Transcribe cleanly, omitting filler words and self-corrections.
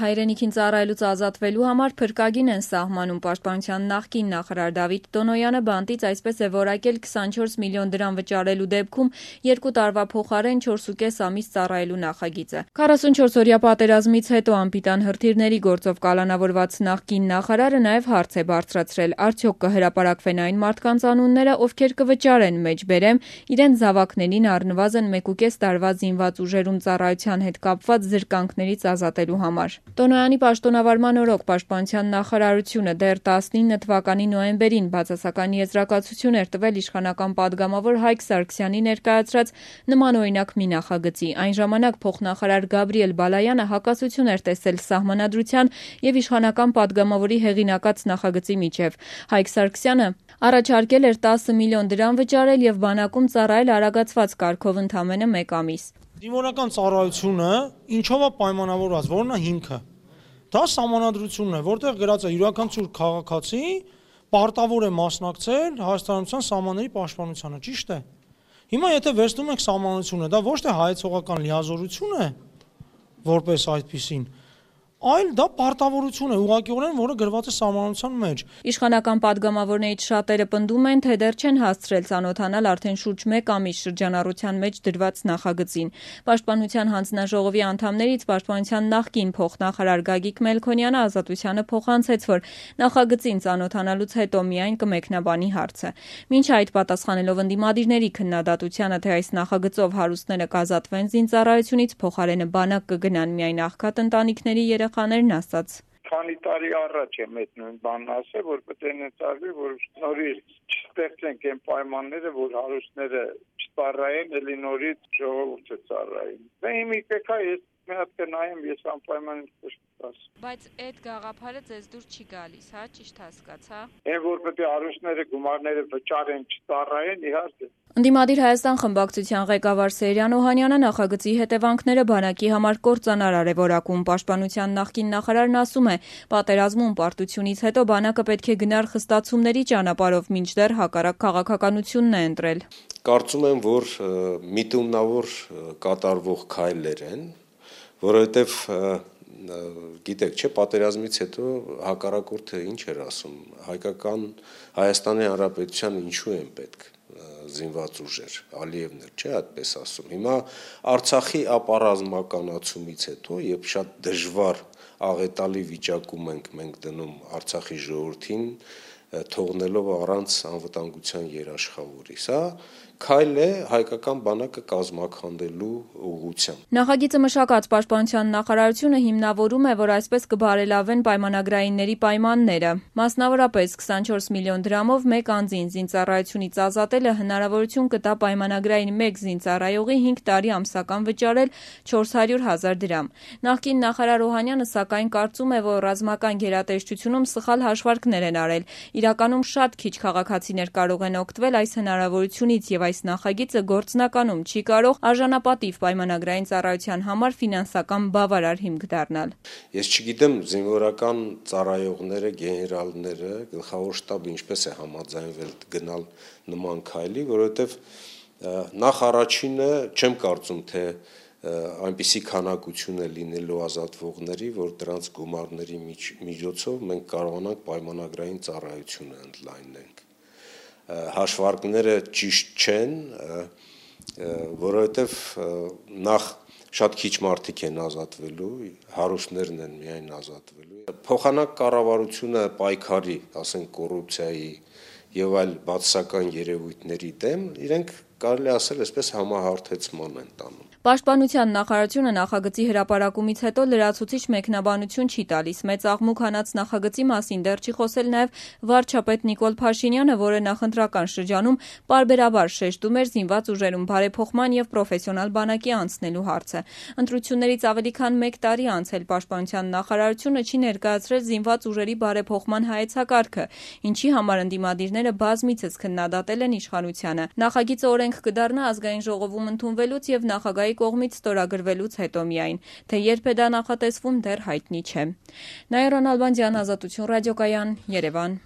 Հայրենիքին ծառայելուց ազատվելու համար փրկագին են սահմանում պաշտպանության նախկին նախարար Դավիթ Տոնոյանը բանտից այսպես է որակել 24 միլիոն դրամ վճարելու դեպքում 2 տարվա փոխարեն 4.5 ամիս ծառայելու նախագիծը։ 44-օրյա պատերազմից հետո անպիտան հրթիռների գործով կալանավորված նախկին նախարարը նաև հարց է բարձրացրել. արդյոք կհրապարակվեն այն մարդկանց անունները, ովքեր կվճարեն մեջբերեմ իրենց զավակներին առնվազն 1.5 տարվա զինված ուժերում ծառայության հետ կապված զրկանքներից ազատելու համար։ Տոնոյանի պաշտոնավարման օրոք պաշտպանության նախարարությունը դեռ 19 թվականի նոյեմբերին բացասական եզրակացություն էր տվել իշխանական պատգամավոր Հայկ Սարգսյանի ներկայացրած նմանօրինակ մի նախագծի։ Այն ժամանակ փոխնախարար Գաբրիել Բալայանը հակասություն էր տեսել սահմանադրության եւ իշխանական պատգամավորի հեղինակած նախագծի միջև։ Հայկ Սարգսյանը առաջարկել էր 10 միլիոն դրամ վճարել եւ բանակում ծառայել արագացված կարգով ընդամենը 1 ամիս։ Զինվորական ծառայությունը ինչով է պայմանավորված, որն է հիմքը։ Դա սահմանադրությունն է, որտեղ գրած է յուրաքանչյուր քաղաքացի պարտավոր է մասնակցել հայաստանության սահմանների պաշտպանությանը, ճիշտ է։ Հիմա եթե վերցնում ենք սահմանադրությունը, դա ոչ թե հայեցողական լիազորություն է, որպես այդպիսին, այլ դա պարտավորություն է ուղղակիորեն, որը գրված է սահմանադրության մեջ։ Իշխանական պատգամավորներից շատերը պնդում են, թե դեռ չեն հասցրել ծանոթանալ արդեն շուրջ 1 ամիս շրջանառության մեջ դրված նախագծին։ Պաշտպանության հանձնաժողովի անդամներից պաշտպանության նախկին փոխնախարար Գագիկ Մելքոնյանը Ազատությանը փոխանցեց, որ նախագծին ծանոթանալուց հետո միայն կմեկնաբանի հարցը։ Մինչ այդ պատասխանելով ընդդիմադիրների քննադատությանը, թե այս նախագծով հարուստները կազատվեն զինծառայությունից, փոխարենը բանակ կգնան միայն աղքատ ընտանիքների երեխաներն ասաց. Քանի տարի առաջ եմ այդ նույն բանն ասել, որ պետք է ներծարվի, որ նորից չստեղծենք այն պայմանները, որ հարուստները չծառայեն, էլի նորից ժողովուրդը ծառայեն։ Դե հիմա պետք է ես մի հատ կնայեմ, ես անպայման կշտաս։ Բայց այդ գաղափարը ձեզ դուր չի գալիս, հա, ճիշտ հասկացա։ Այն որ պետք է հարուստները գումարները վճարեն, չծառայեն, իհարկե։ Ընդդիմադիր Հայաստան խմբակցության ղեկավար Սերյան Օհանյանը նախագծի հետևանքները բանակի համար կործանարար է որակում։ Պաշտպանության նախկին նախարարն ասում է, պատերազմում պարտությունից հետո բանակը պետք է գնար խստացումների ճանապարհով, մինչդեռ հակառակ քաղաքականությունն է ընտրել։ Կարծում եմ, որ միտումնավոր կատարվող քայլեր են, որովհետև գիտեք, չէ, պատերազմից հետո հակառակորդը ինչ էր ասում, Հայաստանի Հանրապետության ինչու են պետք զինված ուժեր, Ալիևն էր, չէ, այդպես ասում։ Հիմա Արցախի ապառազմականացումից հետո, երբ շատ դժվար աղետալի վիճակում ենք մենք դնում Արցախի ժողովրդին, թողնելով առանց անվտանգության երաշխավորի, սա քայլ է հայկական բանակը կազմաքանդելու ուղղությամբ։ Նախագիծը մշակած պաշտպանության նախարարությունը հիմնավորում է, որ այսպես կբարելավեն պայմանագրայինների պայմանները։ Մասնավորապես 24 միլիոն դրամով 1 անձին զինծառայությունից ազատելը հնարավորություն կտա պայմանագրային 1 զինծառայողի 5 տարի ամսական վճարել 400,000 դրամ։ Նախկին նախարար Օհանյանը սակայն կարծում է, որ ռազմական գերատեսչությունում սխալ հաշվարկներ են արել։ Իրականում շատ քիչ քաղաքացիներ կարող են օգտվել այս հնարավորությունից եւ այս նախագիծը գործնականում չի կարող արժանապատիվ պայմանագրային ծառայության համար ֆինանսական բավարար հիմք դառնալ։ Ես չգիտեմ զինվորական ծառայողները, գեներալները, գլխավոր շտաբը ինչպես է համաձայնվել գնալ նման քայլի, որովհետեւ նախ առաջինը չեմ կարծում, թե այնպիսի քանակություն է լինելու ազատվողների, որ դրանց գումարների միջոցով մենք կարողանանք պայմանագրային ծառայությունը ընդլայնենք։ Հաշվարկները ճիշտ չեն, որովհետև նախ շատ քիչ մարդիկ են ազատվելու, հարուստներն են միայն ազատվելու։ Փոխանակ կառավարությունը պայքարի, ասենք կոռուպցիայի եւ այլ բացասական երևույթների դեմ, իրենք կարելի ասել այսպես համահարթեցման են տանում։ Պաշտպանության նախարարությունը նախագծի հրապարակումից հետո լրացուցիչ մեկնաբանություն չի տալիս։ Մեծ աղմուկ հանած նախագծի մասին դեռ չի խոսել նաև վարչապետ Նիկոլ Փաշինյանը, որը նախընտրական շրջանում պարբերաբար շեշտում էր զինված ուժերում բարեփոխման եւ պրոֆեսիոնալ բանակի անցնելու հարցը։ Ընտրություններից ավելի քան 1 տարի անցել պաշտպանության նախարարությունը չի ներկայացրել զինված ուժերի բարեփոխման հայեցակարգը, ինչի համար ընդդիմադիրները բազմիցս քննադատել են իշխանությանը։ Նախագիծը օրենք կդառնա ազգային ժողովում ընդունվելուց եւ նախագահի կողմից ստորագրվելուց հետո միայն, թե երբ է դա նախատեսվում դեռ հայտնի չէ։ Նաիրա Նալբանդյան, Ազատություն ռադիոկայան, Երևան։